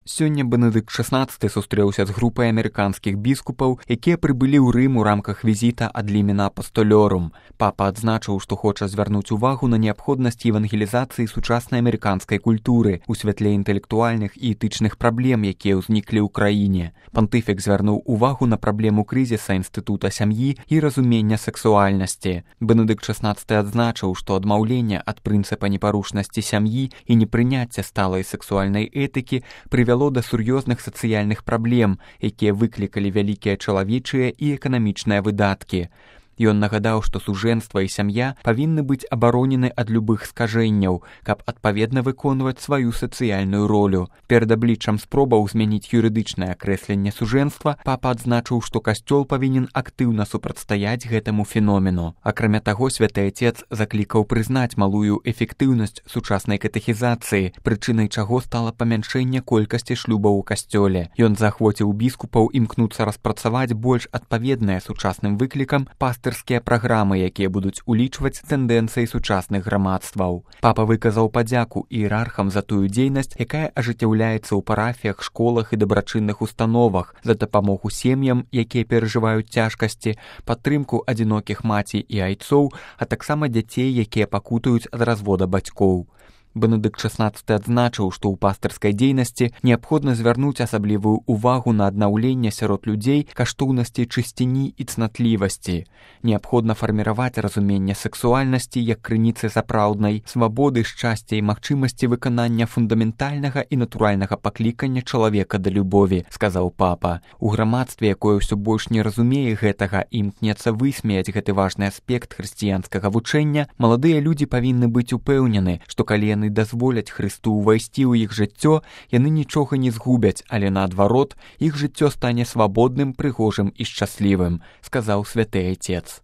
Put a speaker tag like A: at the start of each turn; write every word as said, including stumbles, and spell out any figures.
A: Сёння Бенедыкт шаснаццаты сустрэўся з групай амерыканскіх біскупаў, якія прыбылі ў Рым у рамках візіта ад лімена апастолёрум. Папа адзначыў, што хоча звярнуць увагу на неабходнасць евангелізацыі сучаснай амерыканскай культуры у святле інтэлектуальных і этычных праблем, якія ўзніклі ў краіне. Пантыфік звярнуў увагу на праблему крызіса інстытута сям'і і разумення сексуальнасці. Бенедыкт шаснаццаты адзначыў, што адмаўленне ад прынцыпа непарушнасці сям'і і непрыняцця сталай сексуальнай этыкі прывяло да сур'ёзных сацыяльных праблем, якія выклікалі вялікія чалавечыя і эканамічныя выдаткі. Ён нагадаў, што сужэнства і сям'я павінны быць абаронены ад любых скажэнняў, каб адпаведна выконваць сваю сацыяльную ролю. Перад абліччам спробаў змяніць юрыдычнае акрэсленне сужэнства, папа адзначыў, што касцёл павінен актыўна супрацьстаяць гэтаму феномену. Акрамя таго, святы Ацец заклікаў прызнаць малую эфектыўнасць сучаснай катэхізацыі, прычынай чаго стала памяншэнне колькасці шлюбаў у касцёле. Ён заахвоціў біскупаў імкнуцца распрацаваць больш адпаведныя сучасным выклікам пастырскія праграмы, якія будуць улічваць тэндэнцыі сучасных грамадстваў. Папа выказаў падзяку іерархам за тую дзейнасць, якая ажыццяўляецца ў парафіях, школах і дабрачынных установах, за дапамогу сем'ям, якія перажываюць цяжкасці, падтрымку адзінокіх маці і айцоў, а таксама дзяцей, якія пакутаюць ад развода бацькоў. Бенедыкт шаснаццаты адзначыў, што ў пастырскай дзейнасці неабходна звярнуць асаблівую ўвагу на аднаўленне сярод людзей каштоўнасцей чысціні і цнатлівасці. Неабходна фарміраваць разуменне сексуальнасці як крыніцы сапраўднай свабоды, шчасця і магчымасці выканання фундаментальнага і натуральнага паклікання чалавека да любові, сказаў папа. У грамадстве, якое ўсё больш не разумее гэтага і імкнецца высмеяць гэты важны аспект хрысціянскага вучэння, маладыя людзі павінны быць упэўнены, што калі яны дазволяць Хрысту ўвайсці ў іх жыццё, яны нічога не згубяць, але наадварот, іх жыццё стане свабодным, прыгожым і шчаслівым, сказаў святы Ацец.